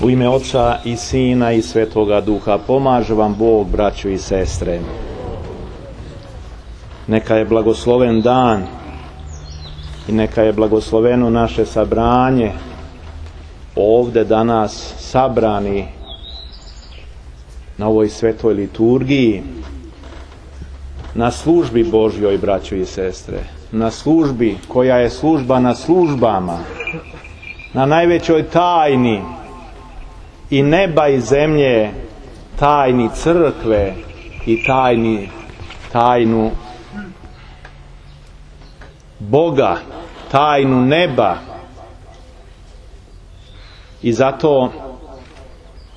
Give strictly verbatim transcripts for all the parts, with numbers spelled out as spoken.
U ime Oca i Sina i Svetoga Duha pomaže vam Bog, braćo i sestre. Neka je blagosloven dan i neka je blagosloveno naše sabranje ovdje danas sabrani na ovoj svetoj liturgiji, na službi Božjoj, braćo i sestre, na službi koja je služba na službama, na najvećoj tajni i neba i zemlje, tajni crkve i tajni, tajnu Boga, tajnu neba. I zato,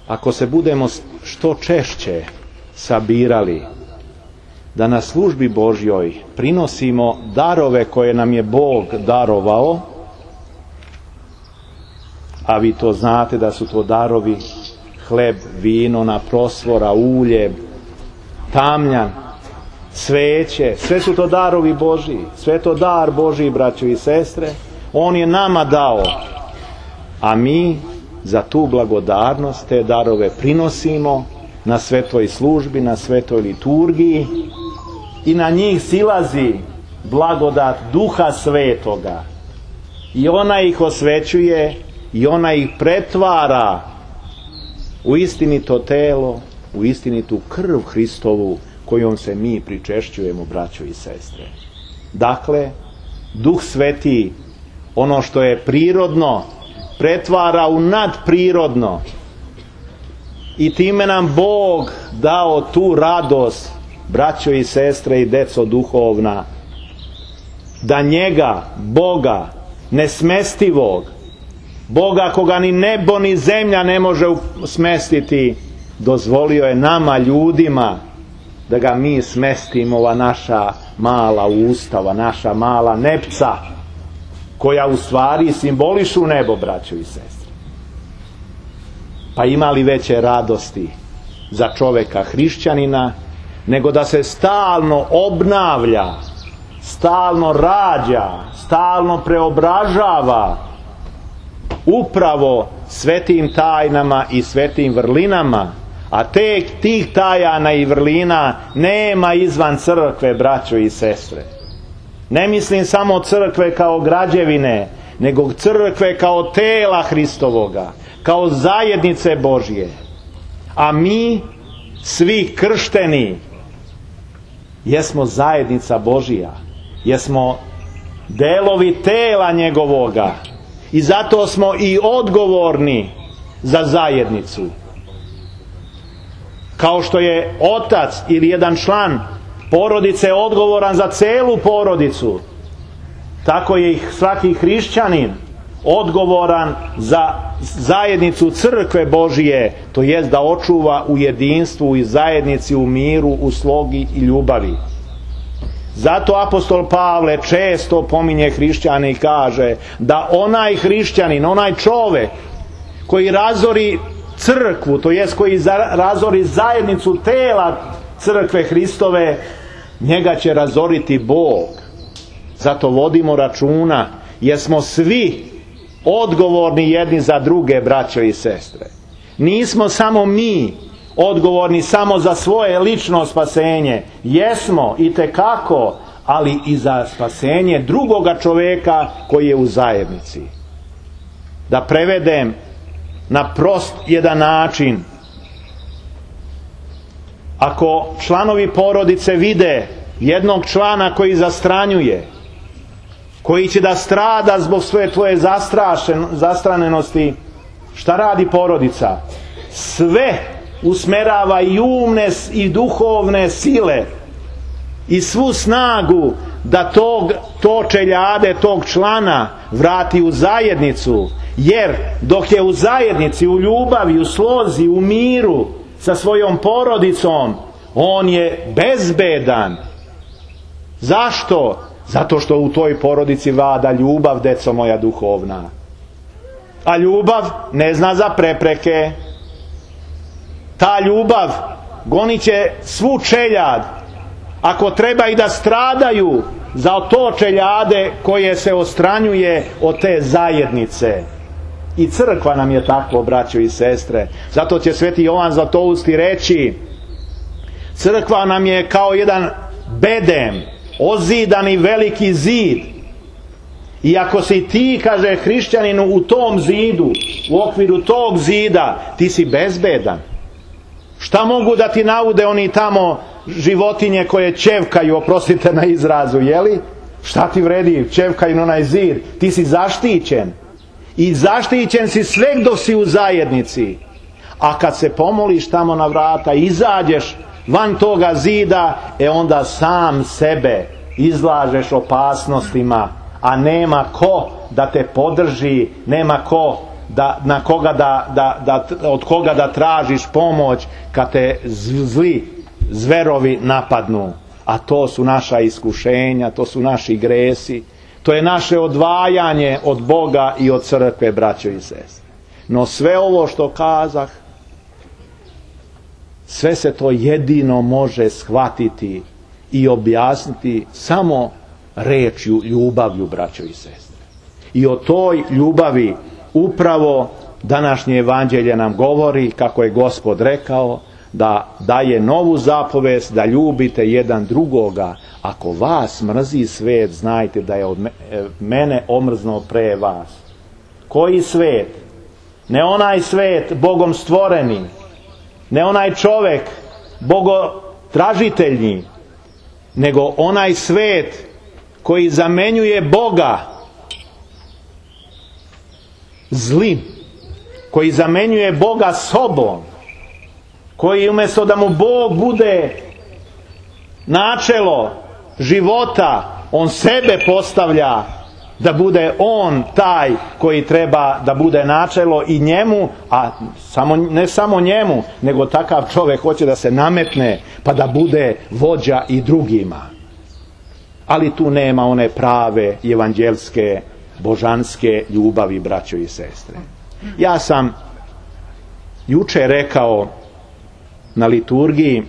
ako se budemo što češće sabirali, da na službi Božjoj prinosimo darove koje nam je Bog darovao, a vi to znate da su to darovi hleb, vino na prosvora, ulje, tamjan, sveće, sve su to darovi Božji, sve to dar Božji, braćo i sestre, On je nama dao, a mi za tu blagodarnost te darove prinosimo na svetoj službi, na svetoj liturgiji i na njih silazi blagodat Duha Svetoga i ona ih osvećuje i ona ih pretvara u istinito telo, u istinitu krv Hristovu kojom se mi pričešćujemo, braćo i sestre. Dakle, Duh Sveti ono što je prirodno pretvara u nadprirodno i time nam Bog dao tu radost, braćo i sestre i deco duhovna, da njega, Boga nesmestivog, Boga koga ni nebo ni zemlja ne može smestiti, dozvolio je nama ljudima da ga mi smestimo, ova naša mala usta, ova naša mala nepca, koja u stvari simbolišu nebo, braćo i sestre. Pa ima li veće radosti za čoveka hrišćanina nego da se stalno obnavlja, stalno rađa, stalno preobražava upravo svetim tajnama i svetim vrlinama, a tek tih tajana i vrlina nema izvan crkve, braćo i sestre. Ne mislim samo crkve kao građevine, nego crkve kao tela Hristovoga, kao zajednice Božje. A mi, svi kršteni, jesmo zajednica Božja, jesmo delovi tela njegovoga i zato smo i odgovorni za zajednicu. Kao što je otac ili jedan član porodice odgovoran za celu porodicu, tako je i svaki hrišćanin odgovoran za zajednicu crkve Božije, to jest da očuva u jedinstvu i zajednici, u miru, u slogi i ljubavi. Zato apostol Pavle često pominje hrišćane i kaže da onaj hrišćanin, onaj čovek koji razori crkvu, to jest koji razori zajednicu tela crkve Hristove, njega će razoriti Bog. Zato vodimo računa, jer smo svi odgovorni jedni za druge, braćo i sestre. Nismo samo mi odgovorni samo za svoje lično spasenje. Jesmo itekako, ali i za spasenje drugoga čoveka koji je u zajednici. Da prevedem na prost jedan način. Ako članovi porodice vide jednog člana koji zastranjuje, koji će da strada zbog svoje tvoje zastranenosti, šta radi porodica? Sve usmerava i umne i duhovne sile i svu snagu da tog, to čeljade, tog člana vrati u zajednicu, jer dok je u zajednici, u ljubavi, u slozi, u miru sa svojom porodicom, on je bezbedan. Zašto? Zato što u toj porodici vlada ljubav, deco moja duhovna. A ljubav ne zna za prepreke. Ta ljubav gonit će svu čeljad, ako treba i da stradaju za to čeljade koje se odstranjuje od te zajednice. I crkva nam je tako, braćo i sestre. Zato će sveti Jovan Zlatousti reći, crkva nam je kao jedan bedem, ozidani veliki zid. I ako si ti, kaže hrišćaninu, u tom zidu, u okviru tog zida, ti si bezbedan. Šta mogu da ti naude oni tamo životinje koje ćevkaju, oprostite na izrazu, jeli? Šta ti vredi, ćevkaju na onaj zid? Ti si zaštićen. I zaštićen si sve dok si u zajednici. A kad se pomoliš tamo na vrata, izađeš van toga zida, e onda sam sebe izlažeš opasnostima, a nema ko da te podrži, nema ko da, na koga da, da, da, od koga da tražiš pomoć kad te zli zverovi napadnu. A to su naša iskušenja, to su naši gresi, to je naše odvajanje od Boga i od crkve, braćo i sestre. No sve ovo što kazah, sve se to jedino može shvatiti i objasniti samo rečju, ljubavlju, braćo i sestre. I o toj ljubavi upravo današnje evanđelje nam govori, kako je Gospod rekao, da daje novu zapovest, da ljubite jedan drugoga. Ako vas mrzi svet, znajte da je od mene omrznuo pre vas. Koji svet? Ne onaj svet Bogom stvoreni, ne onaj čovek bogotražiteljni, nego onaj svet koji zamenjuje Boga zlim, koji zamenjuje Boga sobom, koji umjesto da mu Bog bude načelo života, on sebe postavlja da bude on taj koji treba da bude načelo i njemu, a samo, ne samo njemu, nego takav čovjek hoće da se nametne pa da bude vođa i drugima. Ali tu nema one prave evanđelske, božanske ljubavi, braćo i sestre. Ja sam juče rekao na liturgiji,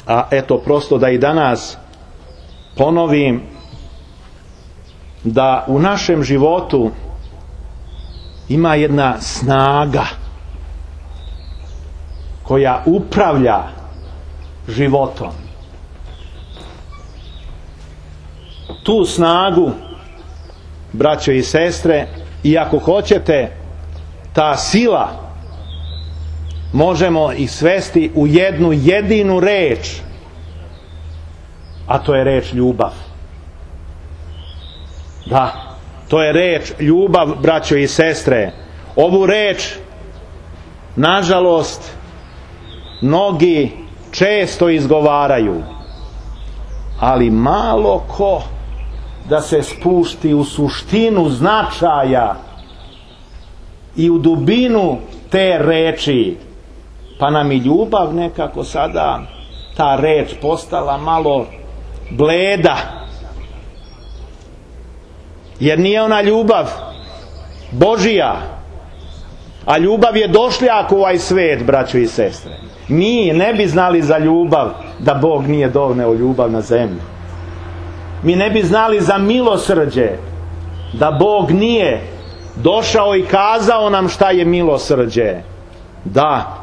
a eto prosto da i danas ponovim, da u našem životu ima jedna snaga koja upravlja životom. Tu snagu, braćo i sestre, i ako hoćete, ta sila možemo ih svesti u jednu jedinu reč, a to je reč ljubav. Da, to je reč ljubav, braćo i sestre. Ovu reč, nažalost, mnogi često izgovaraju, ali malo ko da se spušti u suštinu značaja i u dubinu te reči. Pa nam i ljubav nekako sada, ta reč postala malo bleda. Jer nije ona ljubav Božija, a ljubav je došljak u ovaj svet, braćo i sestre. Mi ne bi znali za ljubav da Bog nije doneo ljubav na zemlju. Mi ne bi znali za milosrđe da Bog nije došao i kazao nam šta je milosrđe. Da,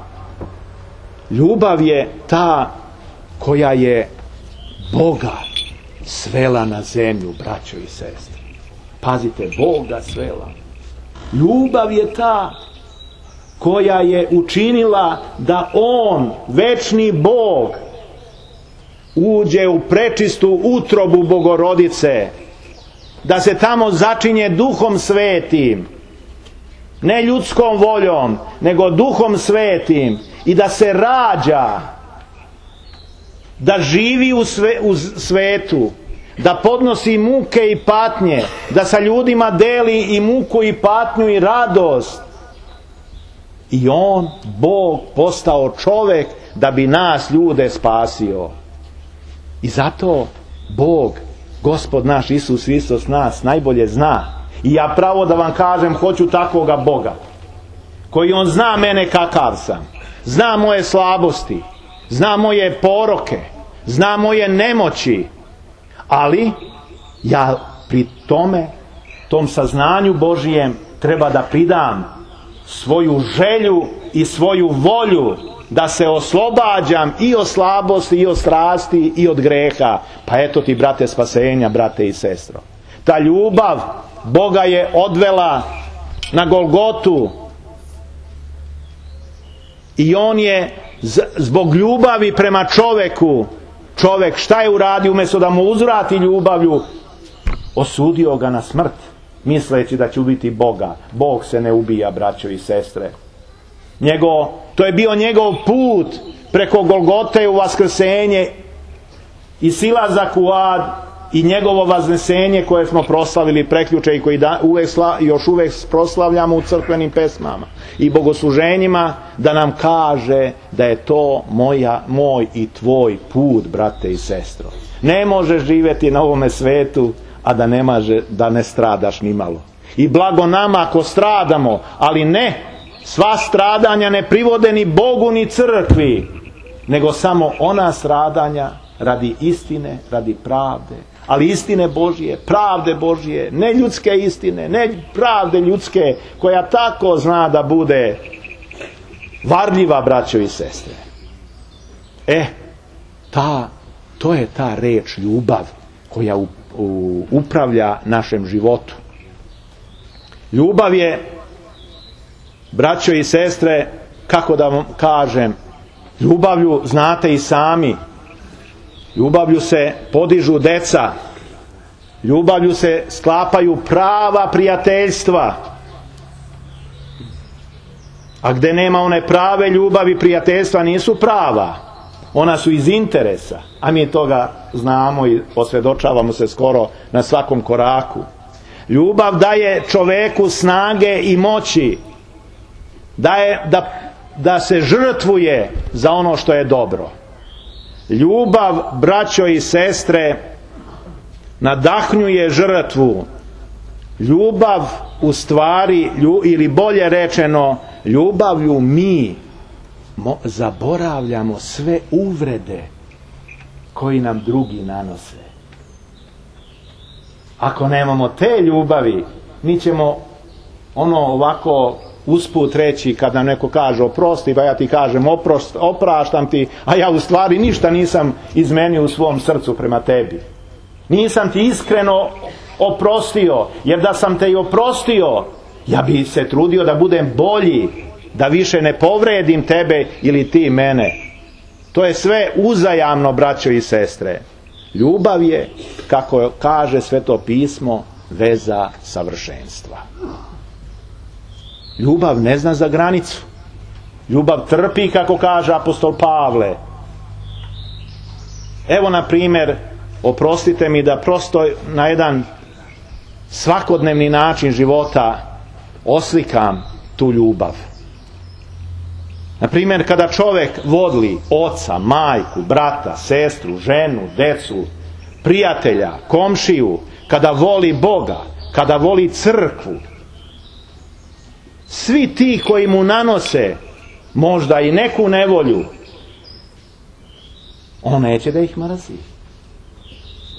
ljubav je ta koja je Boga svela na zemlju, braćo i sestre. Pazite, Boga svela. Ljubav je ta koja je učinila da On, večni Bog, uđe u prečistu utrobu Bogorodice, da se tamo začinje Duhom Svetim, ne ljudskom voljom, nego Duhom Svetim, i da se rađa, da živi u, sve, u svetu, da podnosi muke i patnje, da sa ljudima deli i muku i patnju i radost. I On, Bog, postao čovek da bi nas ljude spasio. I zato Bog, Gospod naš Isus Hristos, nas najbolje zna. I ja pravo da vam kažem, hoću takvoga Boga, koji On zna mene kakav sam, zna moje slabosti, zna moje poroke, zna moje nemoći, ali ja pri tome, tom saznanju Božijem, treba da pridam svoju želju i svoju volju da se oslobađam i od slabosti, i od strasti, i od greha. Pa eto ti, brate, spasenja, brate i sestro. Ta ljubav Boga je odvela na Golgotu i on je zbog ljubavi prema čoveku, čovek šta je uradio? Umjesto da mu uzvrati ljubavlju, osudio ga na smrt, misleći da će ubiti Boga. Bog se ne ubija, braćo i sestre. Njegov, to je bio njegov put preko Golgote u vaskrsenje i silazak u ad i njegovo vaznesenje koje smo proslavili prekjuče i koji da, uvek sla, još uvek proslavljamo u crkvenim pesmama i bogosluženjima, da nam kaže da je to moja, moj i tvoj put, brate i sestro. Ne možeš živjeti na ovome svetu a da ne, maže, da ne stradaš ni malo. I blago nama ako stradamo, ali ne, sva stradanja ne privode ni Bogu ni crkvi, nego samo ona stradanja radi istine, radi pravde. Ali istine Božije, pravde Božije, ne ljudske istine, ne pravde ljudske, koja tako zna da bude varljiva, braćo i sestre. E, ta, to je ta reč ljubav koja u, u, upravlja našem životu. Ljubav je, braćo i sestre, kako da vam kažem, ljubavlju znate i sami. Ljubavlju se podižu deca, ljubavlju se sklapaju prava prijateljstva. A gde nema one prave ljubavi, prijateljstva nisu prava. Ona su iz interesa, a mi toga znamo i osvjedočavamo se skoro na svakom koraku. Ljubav daje čoveku snage i moći, daje da, da se žrtvuje za ono što je dobro. Ljubav, braćo i sestre, nadahnjuje žrtvu. Ljubav u stvari, ili bolje rečeno, ljubavlju mi zaboravljamo sve uvrede koji nam drugi nanose. Ako nemamo te ljubavi, mi ćemo ono ovako usput reći kad nam neko kaže oprosti, pa ja ti kažem oprost, opraštam ti, a ja u stvari ništa nisam izmenio u svom srcu prema tebi. Nisam ti iskreno oprostio, jer da sam te i oprostio, ja bi se trudio da budem bolji, da više ne povredim tebe ili ti mene. To je sve uzajamno, braćo i sestre. Ljubav je, kako kaže Sveto pismo, veza savršenstva. Ljubav ne zna za granicu. Ljubav trpi, kako kaže apostol Pavle. Evo, na primjer, oprostite mi da prosto na jedan svakodnevni način života oslikam tu ljubav. Na primjer, kada čovjek voli oca, majku, brata, sestru, ženu, decu, prijatelja, komšiju, kada voli Boga, kada voli crkvu, svi ti koji mu nanose možda i neku nevolju, on neće da ih mrzi.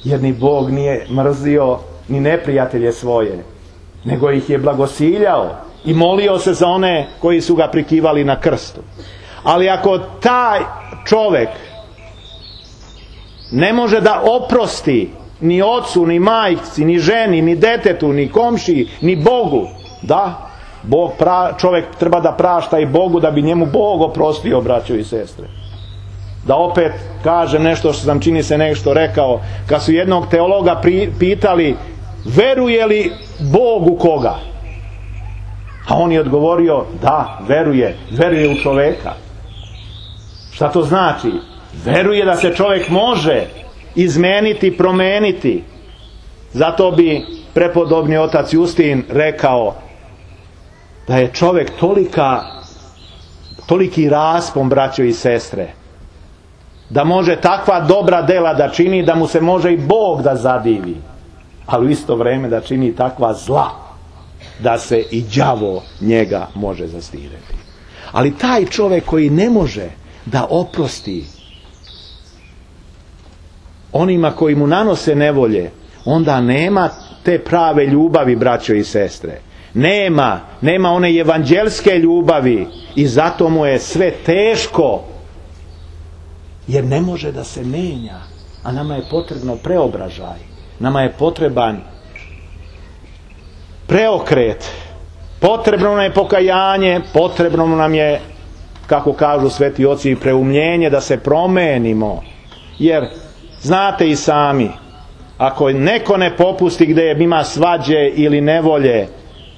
Jer ni Bog nije mrzio ni neprijatelje svoje, nego ih je blagosiljao i molio se za one koji su ga prikivali na krstu. Ali ako taj čovjek ne može da oprosti ni ocu, ni majci, ni ženi, ni detetu, ni komšiji, ni Bogu, da, Bog pra, čovjek treba da prašta i Bogu da bi njemu Bog oprostio, braćo i sestre. Da opet kažem nešto što sam čini se nešto rekao, kad su jednog teologa pri, pitali veruje li Bog u koga? A on je odgovorio da, veruje, veruje u čoveka. Šta to znači? Veruje da se čovjek može izmeniti, promeniti. Zato bi prepodobni otac Justin rekao da je čovjek tolika, toliki raspon, braćo i sestre, da može takva dobra dela da čini, da mu se može i Bog da zadivi, ali u isto vrijeme da čini takva zla, da se i đavo njega može zastirati. Ali taj čovjek koji ne može da oprosti onima koji mu nanose nevolje, onda nema te prave ljubavi, braćo i sestre. Nema, nema one evanđelske ljubavi i zato mu je sve teško, jer ne može da se menja, a nama je potrebno preobražaj, nama je potreban preokret, potrebno nam je pokajanje, potrebno nam je, kako kažu sveti oci, preumljenje, da se promenimo, jer znate i sami, ako neko ne popusti gdje ima svađe ili nevolje,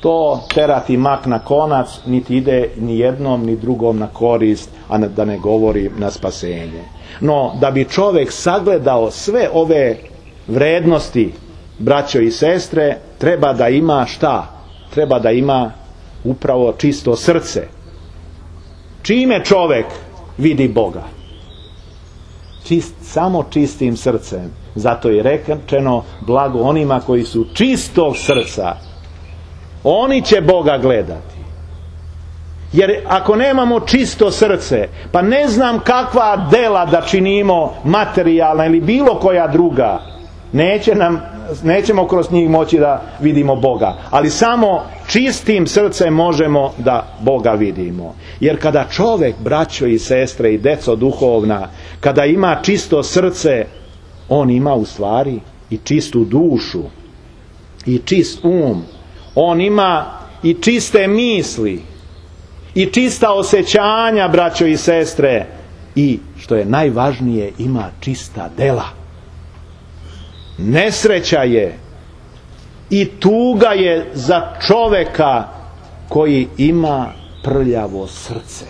to terati mak na konac, niti ide ni jednom ni drugom na korist, a da ne govori na spasenje. No, da bi čovjek sagledao sve ove vrednosti, braćo i sestre, treba da ima šta? Treba da ima upravo čisto srce. Čime čovjek vidi Boga? Čist, samo čistim srcem. Zato je rečeno blago onima koji su čistog srca. Oni će Boga gledati. Jer ako nemamo čisto srce, pa ne znam kakva dela da činimo, materijalna ili bilo koja druga, neće nam, nećemo kroz njih moći da vidimo Boga. Ali samo čistim srcem možemo da Boga vidimo. Jer kada čovjek, braćo i sestre i deco duhovna, kada ima čisto srce, on ima u stvari i čistu dušu i čist um. On ima i čiste misli i čista osjećanja, braćo i sestre, i što je najvažnije, ima čista dela. Nesreća je i tuga je za čovjeka koji ima prljavo srce.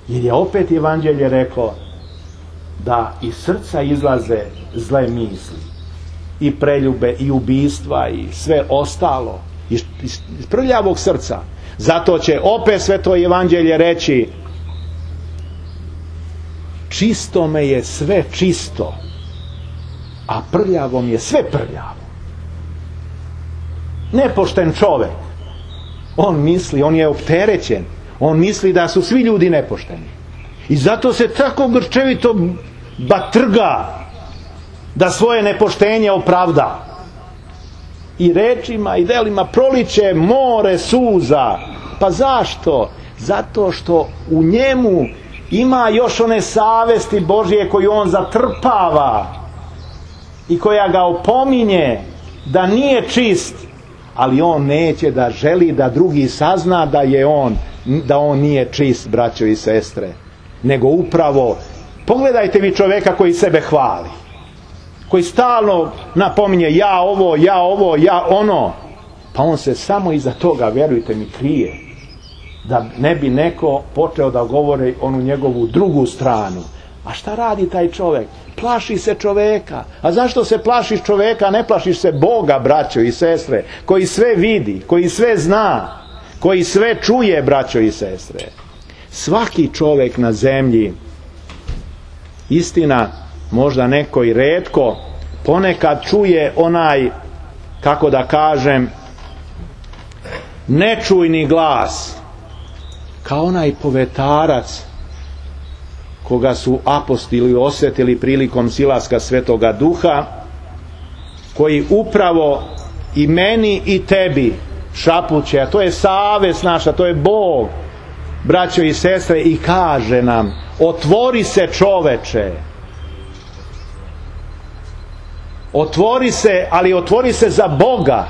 Jer je opet evanđelje reklo da iz srca izlaze zle misli i preljube i ubistva i sve ostalo iz, iz prljavog srca. Zato će opet sveto evanđelje reći: čisto me je sve čisto, a prljavom je sve prljavo. Nepošten čovjek, on misli, on je opterećen, on misli da su svi ljudi nepošteni i zato se tako grčevito batrga da svoje nepoštenje opravda i rečima i delima proliče more suza. Pa zašto? Zato što u njemu ima još one savesti Božje koju on zatrpava i koja ga opominje da nije čist, ali on neće da želi da drugi sazna da je on, da on nije čist, braćo i sestre, nego upravo, pogledajte vi čovjeka koji sebe hvali, koji stalno napominje ja ovo, ja ovo, ja ono, pa on se samo iza toga, vjerujte mi, krije, da ne bi neko počeo da govori onu njegovu drugu stranu. A šta radi taj čovjek? Plaši se čovjeka. A zašto se plašiš čovjeka? Ne plašiš se Boga, braćo i sestre, koji sve vidi, koji sve zna, koji sve čuje, braćo i sestre. Svaki čovjek na zemlji, istina, možda neko i retko, ponekad čuje onaj, kako da kažem, nečujni glas, kao onaj povetarac koga su apostoli osjetili prilikom silaska Svetoga Duha, koji upravo i meni i tebi šapuće, a to je savest naša, to je Bog, braćo i sestre, i kaže nam: otvori se, čoveče, otvori se, ali otvori se za Boga,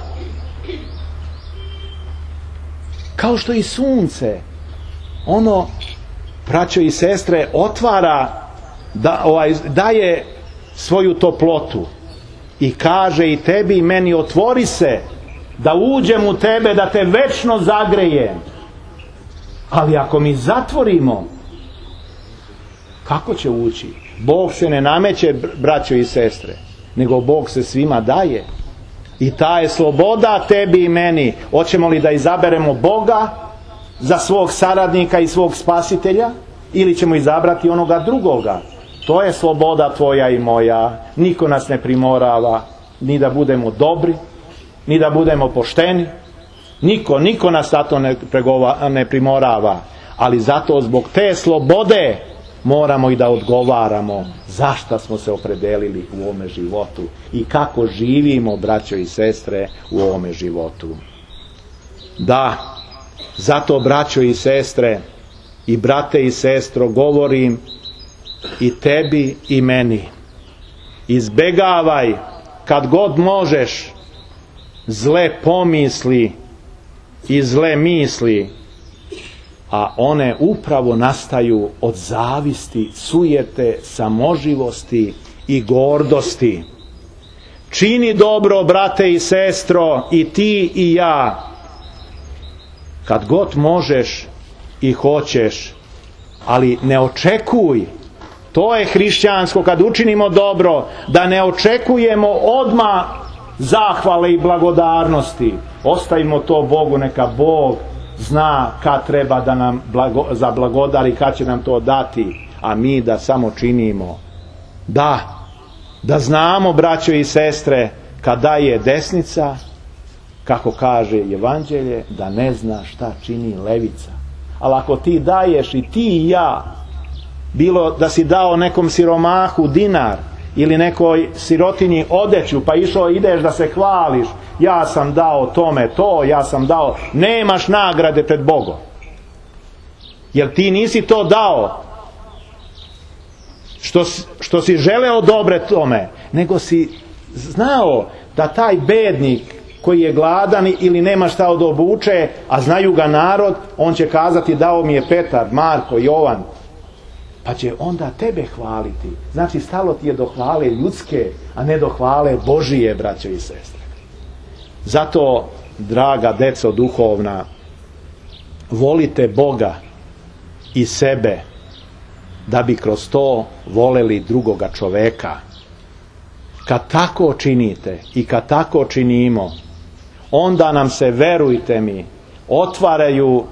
kao što i sunce, ono, braćo i sestre, otvara, da, ovaj, daje svoju toplotu i kaže i tebi i meni: otvori se, da uđem u tebe, da te večno zagrejem. Ali ako mi zatvorimo, kako će ući? Bog se ne nameće, braćo i sestre, nego Bog se svima daje. I ta je sloboda tebi i meni. Hoćemo li da izaberemo Boga za svog saradnika i svog spasitelja, ili ćemo izabrati onoga drugoga? To je sloboda tvoja i moja. Niko nas ne primorava ni da budemo dobri, ni da budemo pošteni. Niko, niko nas zato ne, pregova, ne primorava. Ali zato zbog te slobode moramo i da odgovaramo zašto smo se opredelili u ovome životu i kako živimo, braćo i sestre, u ovome životu. Da, zato, braćo i sestre, i brate i sestro, govorim i tebi i meni. Izbegavaj kad god možeš zle pomisli i zle misli, a one upravo nastaju od zavisti, sujete, samoživosti i gordosti. Čini dobro, brate i sestro, i ti i ja, kad god možeš i hoćeš, ali ne očekuj, to je hrišćansko, kad učinimo dobro, da ne očekujemo odmah zahvale i blagodarnosti. Ostavimo to Bogu, neka Bog zna kad treba da nam blago, zablagodari, kad će nam to dati, a mi da samo činimo. Da, da znamo, braćo i sestre, kad daje desnica, kako kaže Evanđelje, da ne zna šta čini levica. Ali ako ti daješ, i ti i ja, bilo da si dao nekom siromahu dinar ili nekoj sirotinji odeću, pa išao ideš da se hvališ, ja sam dao tome to, ja sam dao, nemaš nagrade pred Bogom. Jer ti nisi to dao što, što si želeo dobre tome, nego si znao da taj bednik koji je gladan ili nema šta da obuče, a znaju ga narod, on će kazati dao mi je Petar, Marko, Jovan, pa će onda tebe hvaliti. Znači, stalo ti je do hvale ljudske, a ne do hvale Božije, braćo i sestre. Zato, draga deco duhovna, volite Boga i sebe, da bi kroz to voleli drugoga čoveka. Kad tako činite i kad tako činimo, onda nam se, verujte mi, otvaraju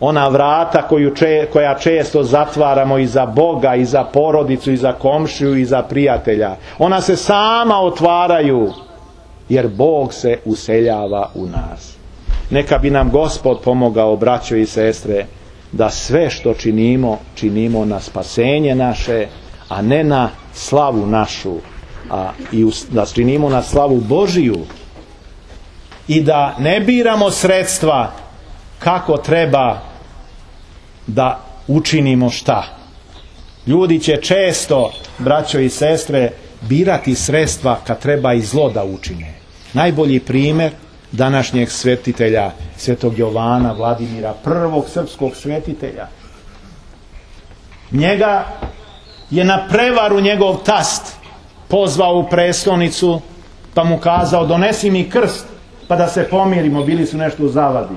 ona vrata koju če, koja često zatvaramo i za Boga, i za porodicu, i za komšiju, i za prijatelja. Ona se sama otvaraju, jer Bog se useljava u nas. Neka bi nam Gospod pomogao, braćo i sestre, da sve što činimo, činimo na spasenje naše, a ne na slavu našu, a i da činimo na slavu Božiju. I da ne biramo sredstva kako treba da učinimo šta. Ljudi će često, braćo i sestre, birati sredstva kad treba i zlo da učine. Najbolji primjer današnjeg svetitelja, svetog Jovana Vladimira, prvog srpskog svetitelja. Njega je na prevaru njegov tast pozvao u prestonicu, pa mu kazao donesi mi krst, pa da se pomirimo, bili su nešto u zavadi.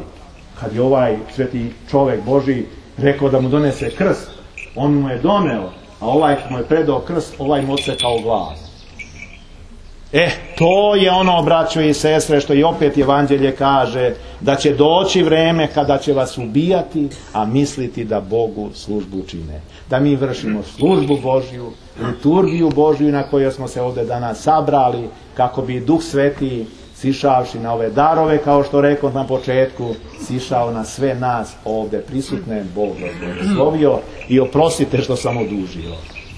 Kad je ovaj sveti čovjek Božji rekao da mu donese krst, on mu je doneo, a ovaj mu je predao krst, ovaj mu odsekao glas. E, to je ono, braćo i sestre, što i opet Evanđelje kaže, da će doći vreme kada će vas ubijati, a misliti da Bogu službu čine. Da mi vršimo službu Božju, liturgiju Božju na kojoj smo se ovdje danas sabrali, kako bi Duh Sveti, sišavši na ove darove, kao što rekao na početku, sišao na sve nas ovdje prisutne, Bog vas blagoslovio i oprostite što sam odužio.